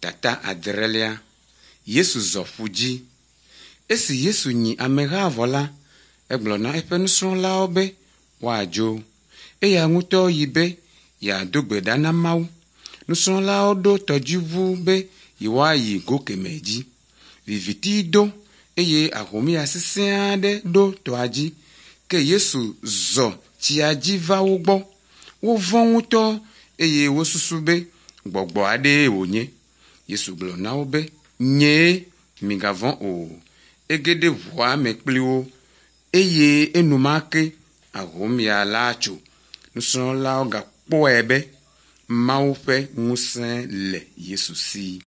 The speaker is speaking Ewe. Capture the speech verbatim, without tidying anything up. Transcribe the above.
Tata adrelia. Yesu zɔ ƒu dzi. Esi Yesu nyi ameha vɔ la, egblɔ na eƒe nusrɔ̃lawo be woadzo. Eya ŋutɔ yi be yeado gbe ɖa na Mawu. Nusrɔ̃lawo ɖo tɔdziʋu be yewoayi go kemɛ dzi. Viviti do eye ahomya sesẽ aɖe ɖo tɔa dzi ke Yesu zɔ tsia dzi va wo gbɔ. Wovɔ̃ ŋutɔ eye wosusu be gbɔgbɔ aɖee wònye. Yesu gblɔ na wo be, “Nyee, migavɔ̃ o.” Ege ɖe ʋua me kpli wo eye enumake ahomya la tso. Nusrɔ̃lawo gakpɔe be Mawu ƒe ŋusẽ le Yesu si.